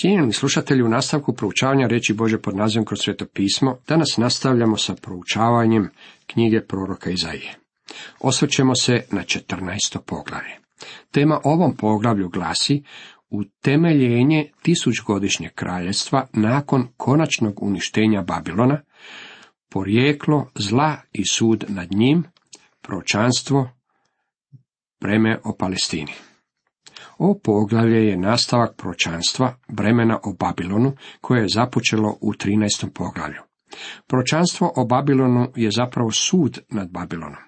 Cijenjeni slušatelji, u nastavku proučavanja riječi Božje pod nazivom Kroz Sveto pismo, danas nastavljamo sa proučavanjem knjige proroka Izaije. Osvrćemo se na 14. poglavlje. Tema ovom poglavlju glasi utemeljenje tisućgodišnjeg kraljevstva nakon konačnog uništenja Babilona, porijeklo zla i sud nad njim, proročanstvo, breme o Palestini. Ovo poglavlje je nastavak proročanstva bremena o Babilonu koje je započelo u 13. poglavlju. Proročanstvo o Babilonu je zapravo sud nad Babilonom.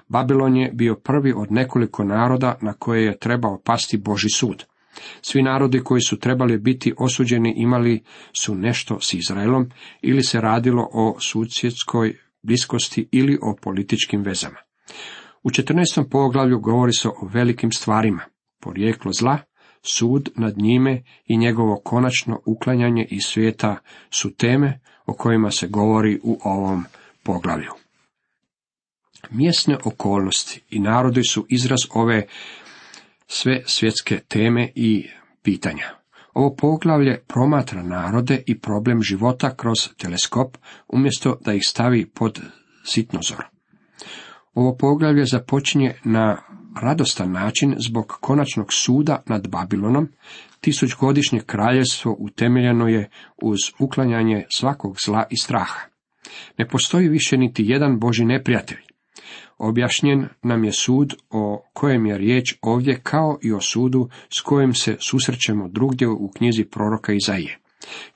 Babilon je bio prvi od nekoliko naroda na koje je trebao pasti Božji sud. Svi narodi koji su trebali biti osuđeni imali su nešto s Izraelom, ili se radilo o susjedskoj bliskosti ili o političkim vezama. U 14. poglavlju govori se o velikim stvarima. Porijeklo zla, sud nad njime i njegovo konačno uklanjanje iz svijeta su teme o kojima se govori u ovom poglavlju. Mjesne okolnosti i narodi su izraz ove sve svjetske teme i pitanja. Ovo poglavlje promatra narode i problem života kroz teleskop, umjesto da ih stavi pod sitnozor. Ovo poglavlje započinje na radostan način zbog konačnog suda nad Babilonom. Tisućgodišnje kraljevstvo utemeljeno je uz uklanjanje svakog zla i straha. Ne postoji više niti jedan Božji neprijatelj. Objašnjen nam je sud o kojem je riječ ovdje kao i o sudu s kojim se susrećemo drugdje u knjizi proroka Izaije.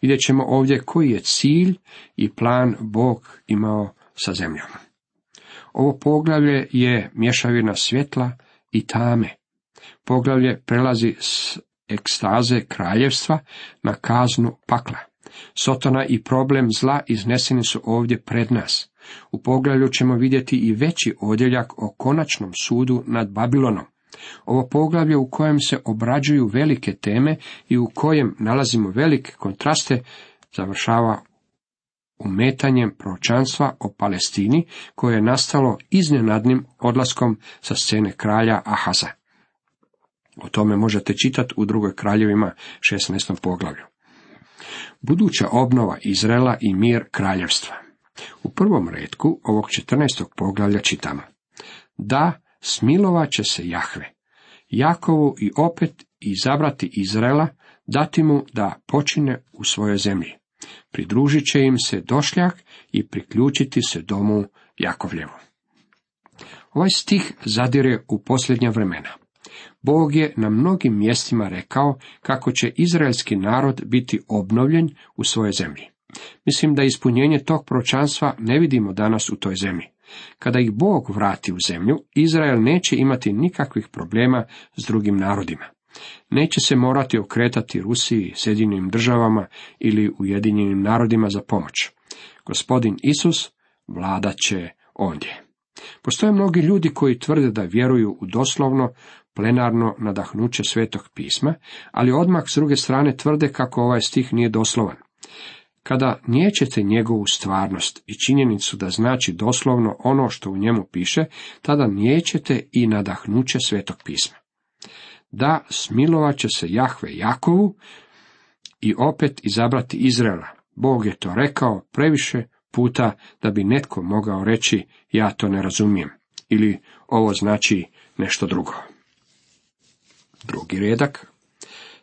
Vidjet ćemo ovdje koji je cilj i plan Bog imao sa zemljom. Ovo poglavlje je mješavina svjetla i tame. Poglavlje prelazi s ekstaze kraljevstva na kaznu pakla. Sotona i problem zla izneseni su ovdje pred nas. U poglavlju ćemo vidjeti i veći odjeljak o konačnom sudu nad Babilonom. Ovo poglavlje u kojem se obrađuju velike teme i u kojem nalazimo velike kontraste završava umetanjem proročanstva o Palestini koje je nastalo iznenadnim odlaskom sa scene kralja Ahaza. O tome možete čitati u 2. kraljevima 16. poglavlju. Buduća obnova Izraela i mir kraljevstva. U prvom retku ovog 14. poglavlja čitamo: Da, smilovat će se Jahve, Jakovu i opet izabrati Izraela, dati mu da počine u svojoj zemlji. Pridružit će im se došljak i priključiti se domu Jakovljevu. Ovaj stih zadire u posljednja vremena. Bog je na mnogim mjestima rekao kako će izraelski narod biti obnovljen u svojoj zemlji. Mislim da ispunjenje tog proročanstva ne vidimo danas u toj zemlji. Kada ih Bog vrati u zemlju, Izrael neće imati nikakvih problema s drugim narodima. Neće se morati okretati Rusiji, Sjedinjenim državama ili Ujedinjenim narodima za pomoć. Gospodin Isus vladat će ondje. Postoje mnogi ljudi koji tvrde da vjeruju u doslovno, plenarno nadahnuće Svetog pisma, ali odmah s druge strane tvrde kako ovaj stih nije doslovan. Kada niječete njegovu stvarnost i činjenicu da znači doslovno ono što u njemu piše, tada niječete i nadahnuće Svetog pisma. Da, smilovat će se Jahve Jakovu i opet izabrati Izraela. Bog je to rekao previše puta da bi netko mogao reći ja to ne razumijem ili ovo znači nešto drugo. Drugi redak.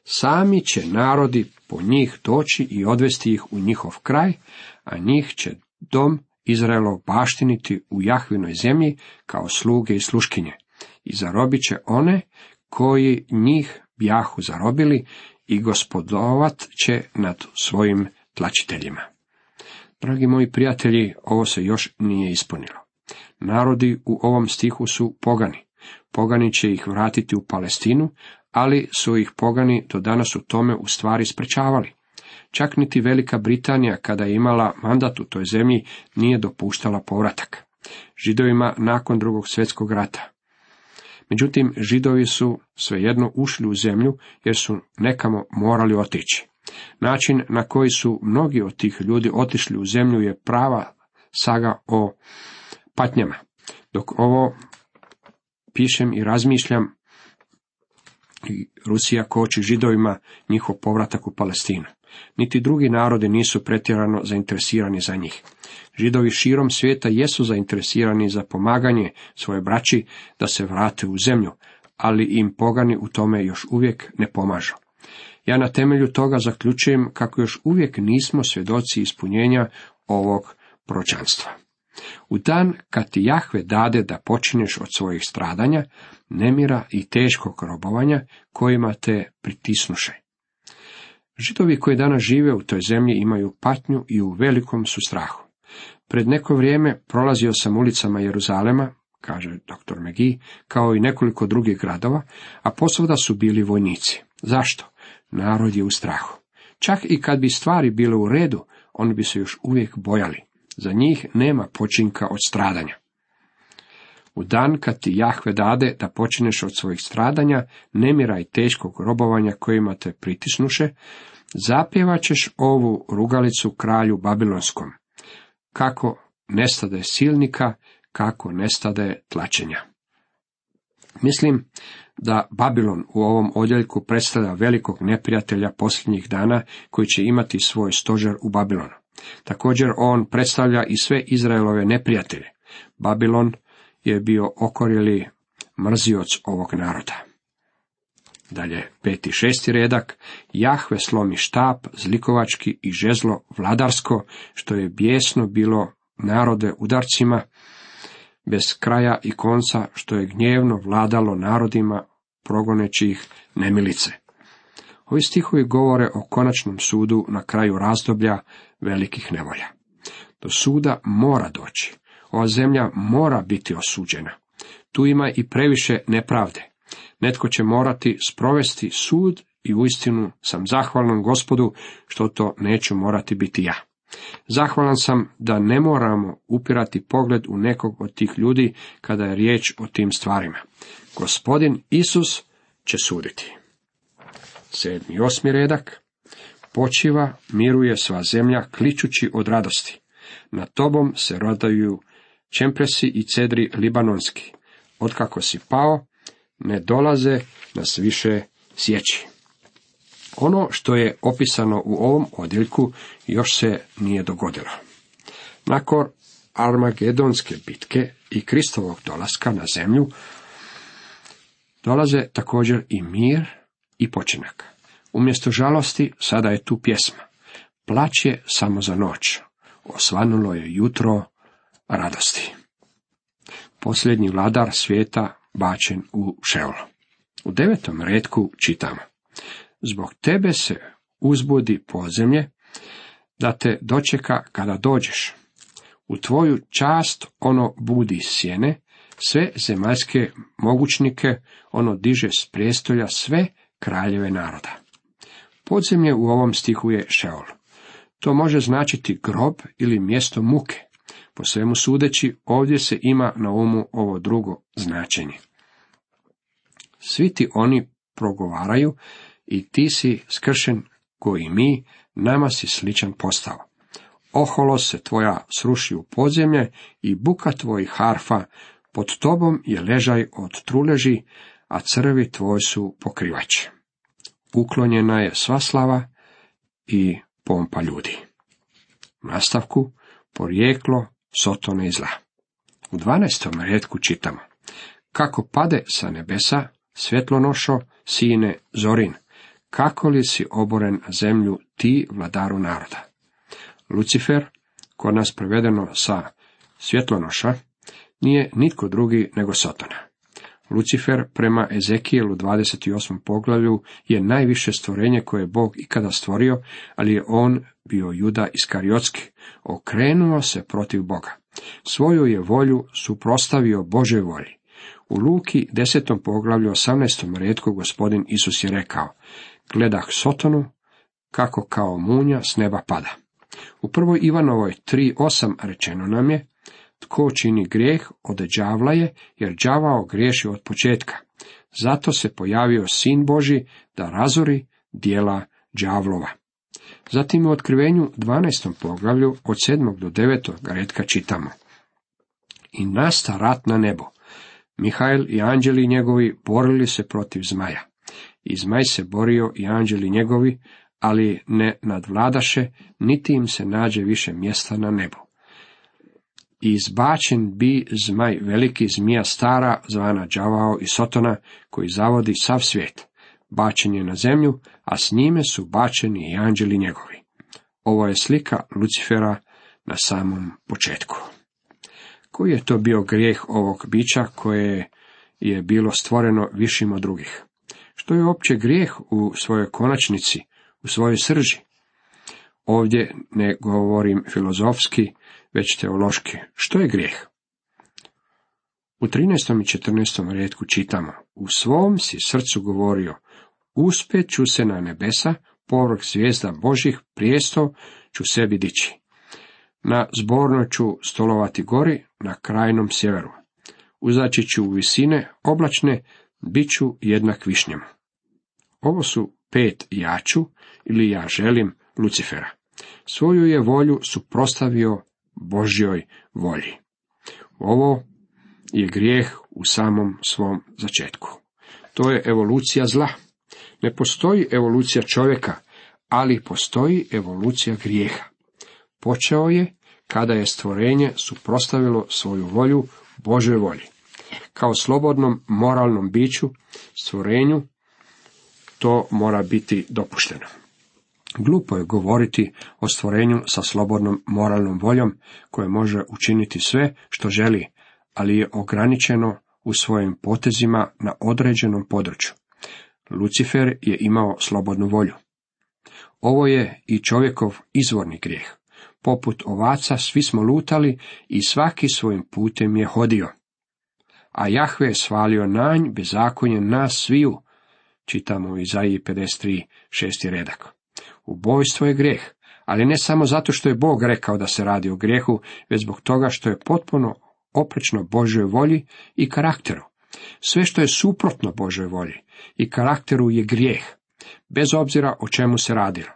Sami će narodi po njih doći i odvesti ih u njihov kraj, a njih će dom Izraelov baštiniti u Jahvinoj zemlji kao sluge i sluškinje. I zarobit će one koji njih bjahu zarobili i gospodovat će nad svojim tlačiteljima. Dragi moji prijatelji, ovo se još nije ispunilo. Narodi u ovom stihu su pogani. Pogani će ih vratiti u Palestinu, ali su ih pogani do danas u tome u stvari sprečavali. Čak niti Velika Britanija, kada je imala mandat u toj zemlji, nije dopuštala povratak Židovima nakon Drugog svjetskog rata. Međutim, Židovi su svejedno ušli u zemlju jer su nekamo morali otići. Način na koji su mnogi od tih ljudi otišli u zemlju je prava saga o patnjama. Dok ovo pišem i razmišljam, I Rusija koči Židovima njihov povratak u Palestinu. Niti drugi narodi nisu pretjerano zainteresirani za njih. Židovi širom svijeta jesu zainteresirani za pomaganje svoje braći da se vrate u zemlju, ali im pogani u tome još uvijek ne pomažu. Ja na temelju toga zaključujem kako još uvijek nismo svjedoci ispunjenja ovog proročanstva. U dan kad ti Jahve dade da počinješ od svojih stradanja, nemira i teškog robovanja kojima te pritisnuše. Židovi koji danas žive u toj zemlji imaju patnju i u velikom su strahu. Pred neko vrijeme prolazio sam ulicama Jeruzalema, kaže dr. McGee, kao i nekoliko drugih gradova, a posvuda su bili vojnici. Zašto? Narod je u strahu. Čak i kad bi stvari bile u redu, oni bi se još uvijek bojali. Za njih nema počinka od stradanja. U dan kad ti Jahve dade da počineš od svojih stradanja, nemira i teškog robovanja kojima te pritisnuše, zapjevat ćeš ovu rugalicu kralju Babilonskom. Kako nestade silnika, kako nestade tlačenja. Mislim da Babilon u ovom odjeljku predstavlja velikog neprijatelja posljednjih dana koji će imati svoj stožer u Babilonu. Također on predstavlja i sve Izraelove neprijatelje. Babilon je bio okorjeli mrzioc ovog naroda. Dalje, 5. i 6. redak. Jahve slomi štap, zlikovački i žezlo vladarsko, što je bijesno bilo narode udarcima, bez kraja i konca, što je gnjevno vladalo narodima, progoneći ih nemilice. Ovi stihovi govore o konačnom sudu na kraju razdoblja velikih nevolja. Do suda mora doći. Ova zemlja mora biti osuđena. Tu ima i previše nepravde. Netko će morati sprovesti sud i uistinu sam zahvalan Gospodu što to neću morati biti ja. Zahvalan sam da ne moramo upirati pogled u nekog od tih ljudi kada je riječ o tim stvarima. Gospodin Isus će suditi. 7. i 8. redak. Počiva, miruje sva zemlja, kličući od radosti. Nad tobom se rodaju čempresi i cedri libanonski. Otkako si pao, ne dolaze nas više sjeći. Ono što je opisano u ovom odjeljku još se nije dogodilo. Nakon Armagedonske bitke i Kristovog dolaska na zemlju, dolaze također i mir i počinak. Umjesto žalosti, sada je tu pjesma. Plać je samo za noć. Osvanulo je jutro radosti. Posljednji vladar svijeta bačen u Šeol. U 9. retku čitamo. Zbog tebe se uzbudi podzemlje, da te dočeka kada dođeš. U tvoju čast ono budi sjene, sve zemaljske mogućnike ono diže s prijestolja sve kraljeve naroda. Podzemlje u ovom stihu je Šeol. To može značiti grob ili mjesto muke. Po svemu sudeći, ovdje se ima na umu ovo drugo značenje. Svi ti oni progovaraju i ti si skršen koji mi, nama si sličan postao. Oholo se tvoja sruši u podzemlje i buka tvojih harfa, pod tobom je ležaj od truleži, a crvi tvoj su pokrivač. Uklonjena je sva slava i pompa ljudi. U nastavku, porijeklo Sotone i zla. U 12. retku čitamo. Kako pade sa nebesa, svjetlonošo, sine Zorin, kako li si oboren na zemlju ti, vladaru naroda. Lucifer, kod nas prevedeno sa svjetlonoša, nije nitko drugi nego Sotona. Lucifer prema Ezekijelu 28. poglavlju je najviše stvorenje koje je Bog ikada stvorio, ali je on bio Juda Iskariotski, okrenuo se protiv Boga. Svoju je volju suprotstavio Božoj volji. U Luki 10. poglavlju 18. retku Gospodin Isus je rekao, gledah Sotonu, kako kao munja s neba pada. U 1. Ivanovoj 3.8 rečeno nam je, tko čini grijeh od đavla je, jer đavao griješi od početka. Zato se pojavio Sin Božji da razori djela đavlova. Zatim u Otkrivenju 12. poglavlju od 7. do 9. retka čitamo. I nasta rat na nebu. Mihael i anđeli njegovi borili se protiv zmaja. I zmaj se borio i anđeli njegovi, ali ne nadvladaše, niti im se nađe više mjesta na nebu. I izbačen bi zmaj veliki, zmija stara, zvana đavao i Sotona, koji zavodi sav svijet. Bačen je na zemlju, a s njime su bačeni i anđeli njegovi. Ovo je slika Lucifera na samom početku. Koji je to bio grijeh ovog bića koje je bilo stvoreno višim od drugih? Što je uopće grijeh u svojoj konačnici, u svojoj srži? Ovdje ne govorim filozofski, već teološki. Što je grijeh? U 13. i 14. rijetku čitamo: U svom si srcu govorio, uspjet ću se na nebesa, povrh zvijezda Božih, prijestol ću sebi dići. Na zbornoj ću stolovati gori, na krajnom sjeveru. Uzaći ću u visine oblačne, bit ću jednak višnjama. Ovo su 5 ja ću ili ja želim Lucifera. Svoju je volju suprotstavio Božjoj volji. Ovo je grijeh u samom svom začetku. To je evolucija zla. Ne postoji evolucija čovjeka, ali postoji evolucija grijeha. Počeo je kada je stvorenje suprotstavilo svoju volju Božoj volji. Kao slobodnom moralnom biću, stvorenju, to mora biti dopušteno. Glupo je govoriti o stvorenju sa slobodnom moralnom voljom, koje može učiniti sve što želi, ali je ograničeno u svojim potezima na određenom području. Lucifer je imao slobodnu volju. Ovo je i čovjekov izvorni grijeh. Poput ovaca svi smo lutali i svaki svojim putem je hodio. A Jahve je svalio nanj bezakonje nas sviju, čitamo u Izaiji 53, 6. redak. Ubojstvo je grijeh, ali ne samo zato što je Bog rekao da se radi o grijehu, već zbog toga što je potpuno oprečno Božjoj volji i karakteru. Sve što je suprotno Božjoj volji i karakteru je grijeh, bez obzira o čemu se radilo.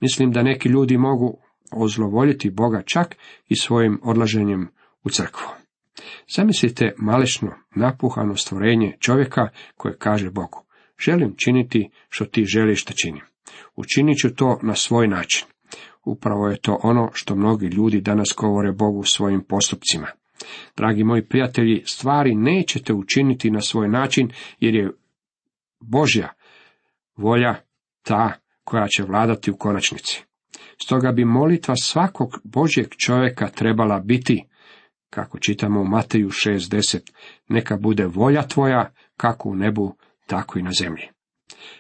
Mislim da neki ljudi mogu ozlovoljiti Boga čak i svojim odlaženjem u crkvu. Zamislite malešno napuhano stvorenje čovjeka koje kaže Bogu: želim činiti što ti želiš da činim. Učinit ću to na svoj način. Upravo je to ono što mnogi ljudi danas govore Bogu svojim postupcima. Dragi moji prijatelji, stvari nećete učiniti na svoj način, jer je Božja volja ta koja će vladati u konačnici. Stoga bi molitva svakog Božjeg čovjeka trebala biti, kako čitamo u Mateju 6:10, neka bude volja tvoja, kako u nebu, tako i na zemlji.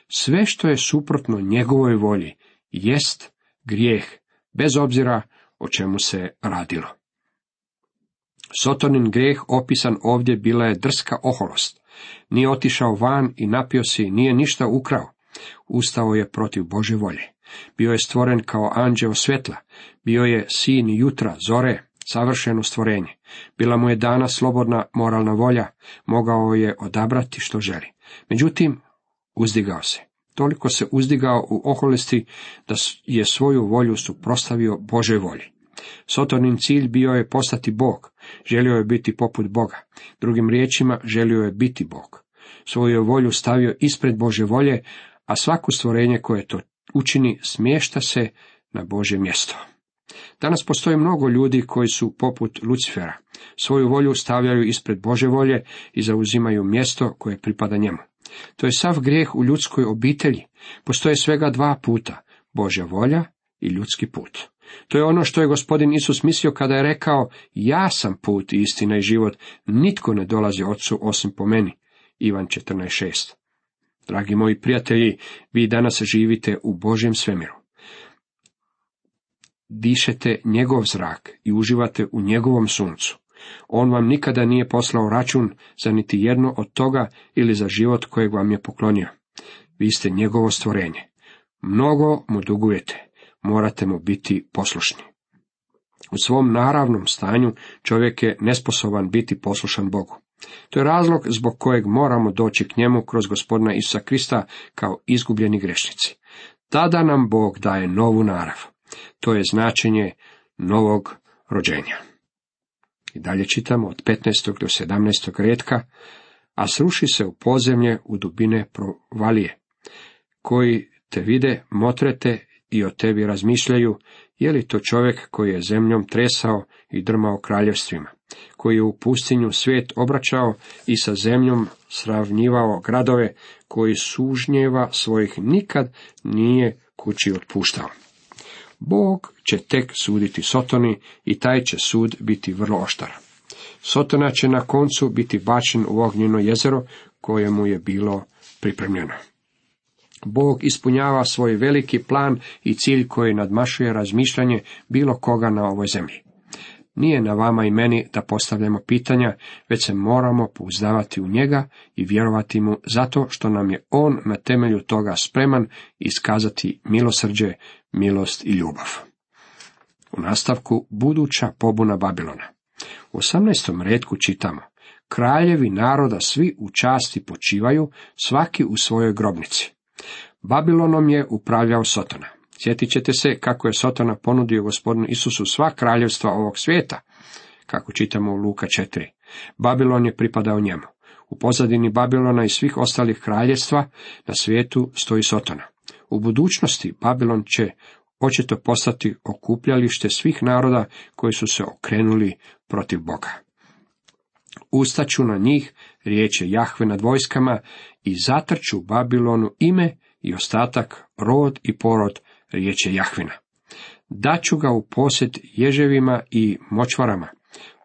Sve što je suprotno njegovoj volji jest grijeh, bez obzira o čemu se radilo. Sotonin grijeh opisan ovdje bila je drska oholost. Nije otišao van i napio se, nije ništa ukrao. Ustao je protiv Božje volje. Bio je stvoren kao anđeo svjetla. Bio je sin jutra, zore, savršeno stvorenje. Bila mu je dana slobodna moralna volja. Mogao je odabrati što želi. Međutim, uzdigao se. Toliko se uzdigao u oholosti da je svoju volju suprotstavio Božoj volji. Sotonin cilj bio je postati Bog. Želio je biti poput Boga. Drugim riječima, želio je biti Bog. Svoju je volju stavio ispred Božje volje, a svako stvorenje koje to učini smješta se na Božje mjesto. Danas postoji mnogo ljudi koji su poput Lucifera. Svoju volju stavljaju ispred Božje volje i zauzimaju mjesto koje pripada njemu. To je sav grijeh u ljudskoj obitelji. Postoje svega 2 puta, Božja volja i ljudski put. To je ono što je Gospodin Isus mislio kada je rekao: ja sam put, istina i život, nitko ne dolazi Otcu osim po meni. Ivan 14:6. Dragi moji prijatelji, vi danas živite u Božjem svemiru. Dišete njegov zrak i uživate u njegovom suncu. On vam nikada nije poslao račun za niti jedno od toga ili za život kojeg vam je poklonio. Vi ste njegovo stvorenje. Mnogo mu dugujete. Morate mu biti poslušni. U svom naravnom stanju čovjek je nesposoban biti poslušan Bogu. To je razlog zbog kojeg moramo doći k njemu kroz Gospodina Isusa Krista kao izgubljeni grešnici. Tada nam Bog daje novu narav. To je značenje novog rođenja. I dalje čitamo od 15. do 17. rijetka: a sruši se u podzemlje, u dubine provalije. koji te vide, motrete i o tebi razmišljaju, je li to čovjek koji je zemljom tresao i drmao kraljevstvima, koji je u pustinju svijet obraćao i sa zemljom sravnjivao gradove, koji sužnjeva svojih nikad nije kući otpuštao. Bog će tek suditi Sotoni i taj će sud biti vrlo oštar. Sotona će na koncu biti bačen u ognjeno jezero kojemu je bilo pripremljeno. Bog ispunjava svoj veliki plan i cilj koji nadmašuje razmišljanje bilo koga na ovoj zemlji. Nije na vama i meni da postavljamo pitanja, već se moramo pouzdavati u njega i vjerovati mu zato što nam je on na temelju toga spreman iskazati milosrđe, milost i ljubav. U nastavku buduća pobuna Babilona. U 18. retku čitamo: kraljevi naroda svi u časti počivaju, svaki u svojoj grobnici. Babilonom je upravljao Sotona. Sjetit ćete se kako je Sotona ponudio gospodinu Isusu sva kraljevstva ovog svijeta, kako čitamo u Luka 4. Babilon je pripadao njemu. U pozadini Babilona i svih ostalih kraljevstva na svijetu stoji Sotona. U budućnosti Babilon će očito postati okupljalište svih naroda koji su se okrenuli protiv Boga. Ustaću na njih, riječ je Jahve nad vojskama, i zatrču Babilonu ime i ostatak, rod i porod, riječ je Jahvina. Daću ga u posjed ježevima i močvarama,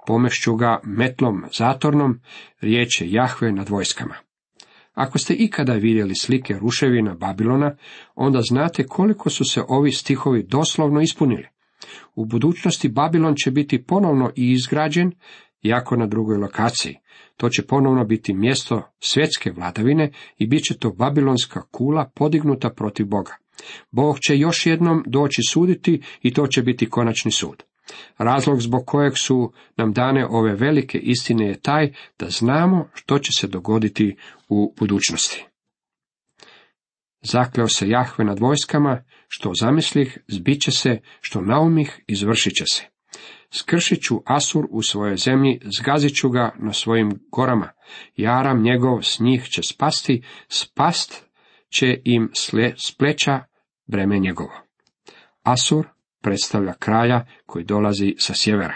pomešću ga metlom zatornom, riječ je Jahve nad vojskama. Ako ste ikada vidjeli slike ruševina Babilona, onda znate koliko su se ovi stihovi doslovno ispunili. U budućnosti Babilon će biti ponovno i izgrađen, iako na drugoj lokaciji. To će ponovno biti mjesto svjetske vladavine i bit će to babilonska kula podignuta protiv Boga. Bog će još jednom doći suditi i to će biti konačni sud. Razlog zbog kojeg su nam dane ove velike istine je taj da znamo što će se dogoditi u budućnosti. Zakleo se Jahve nad vojskama, što zamislih, zbit će se, što naumih, izvršit će se. Skršit ću Asur u svojoj zemlji, zgazit ću ga na svojim gorama, jaram njegov s njih će spasti, spast će im s pleća breme njegovo. Asur predstavlja kralja koji dolazi sa sjevera.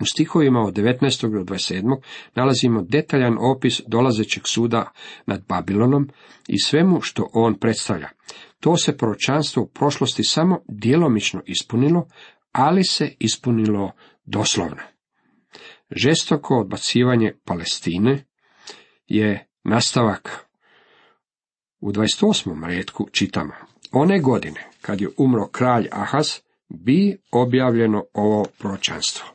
U stihovima od 19. do 27. nalazimo detaljan opis dolazećeg suda nad Babilonom i svemu što on predstavlja. To se proročanstvo u prošlosti samo djelomično ispunilo, ali se ispunilo doslovno. Žestoko odbacivanje Palestine je nastavak. U 28. retku čitamo: one godine, kad je umro kralj Ahaz, bi objavljeno ovo proročanstvo.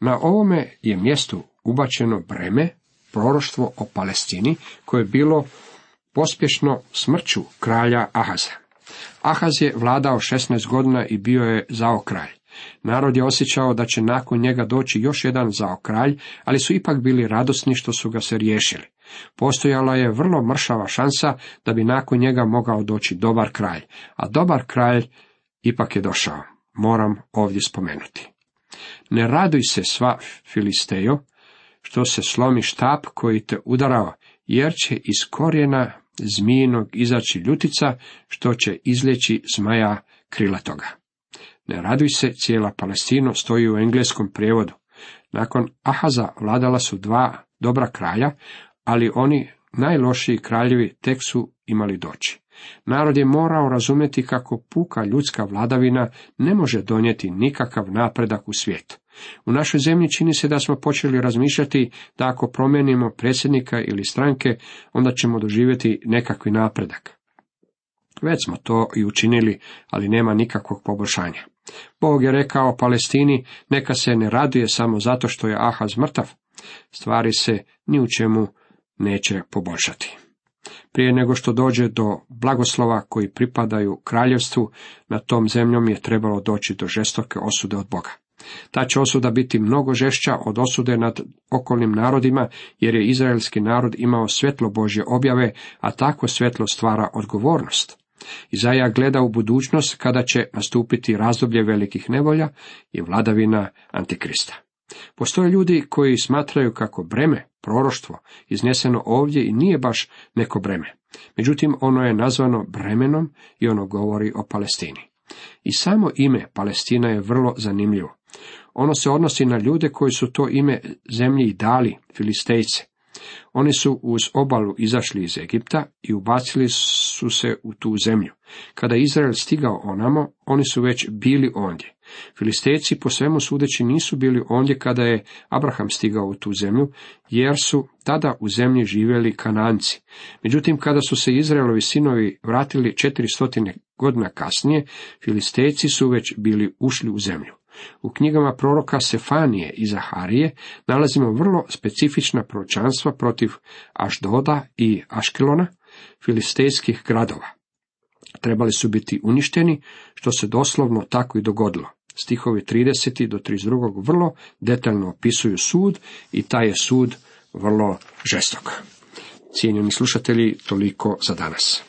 Na ovome je mjestu ubačeno breme, proroštvo o Palestini, koje je bilo pospješno smrću kralja Ahaza. Ahaz je vladao 16 godina i bio je zao kralj. Narod je osjećao da će nakon njega doći još jedan zao kralj, ali su ipak bili radosni što su ga se riješili. Postojala je vrlo mršava šansa da bi nakon njega mogao doći dobar kralj, a dobar kralj ipak je došao. Moram ovdje spomenuti. Ne raduj se sva Filistejo, što se slomi štap koji te udarao, jer će iz korijena zmijinog izaći ljutica, što će izljeći zmaja krilatoga. Ne raduj se, cijela Palestina, stoji u engleskom prijevodu. Nakon Ahaza vladala su dva dobra kralja, ali oni najlošiji kraljevi tek su imali doći. Narod je morao razumjeti kako puka ljudska vladavina ne može donijeti nikakav napredak u svijetu. U našoj zemlji čini se da smo počeli razmišljati da ako promijenimo predsjednika ili stranke, onda ćemo doživjeti nekakvi napredak. Već smo to i učinili, ali nema nikakvog poboljšanja. Bog je rekao Palestini, neka se ne raduje samo zato što je Ahaz mrtav. Stvari se ni u čemu neće poboljšati. Prije nego što dođe do blagoslova koji pripadaju kraljevstvu, na tom zemljom je trebalo doći do žestoke osude od Boga. Ta će osuda biti mnogo žešća od osude nad okolnim narodima, jer je izraelski narod imao svjetlo Božje objave, a takvo svjetlo stvara odgovornost. Izaja gleda u budućnost kada će nastupiti razdoblje velikih nevolja i vladavina Antikrista. Postoje ljudi koji smatraju kako breme Proroštvo izneseno ovdje i nije baš neko breme. Međutim, ono je nazvano bremenom i ono govori o Palestini. I samo ime Palestina je vrlo zanimljivo. Ono se odnosi na ljude koji su to ime zemlji i dali, Filistejce. Oni su uz obalu izašli iz Egipta i ubacili su se u tu zemlju. Kada je Izrael stigao onamo, oni su već bili ondje. Filistejci po svemu sudeći nisu bili ondje kada je Abraham stigao u tu zemlju, jer su tada u zemlji živjeli Kananci. Međutim, kada su se Izraelovi sinovi vratili 400 godina kasnije, Filistejci su već bili ušli u zemlju. U knjigama proroka Sefanije i Zaharije nalazimo vrlo specifična proročanstva protiv Ašdoda i Aškelona, filistejskih gradova. Trebali su biti uništeni, što se doslovno tako i dogodilo. Stihovi 30. do 32. vrlo detaljno opisuju sud i taj je sud vrlo žestok. Cijenjeni slušatelji, toliko za danas.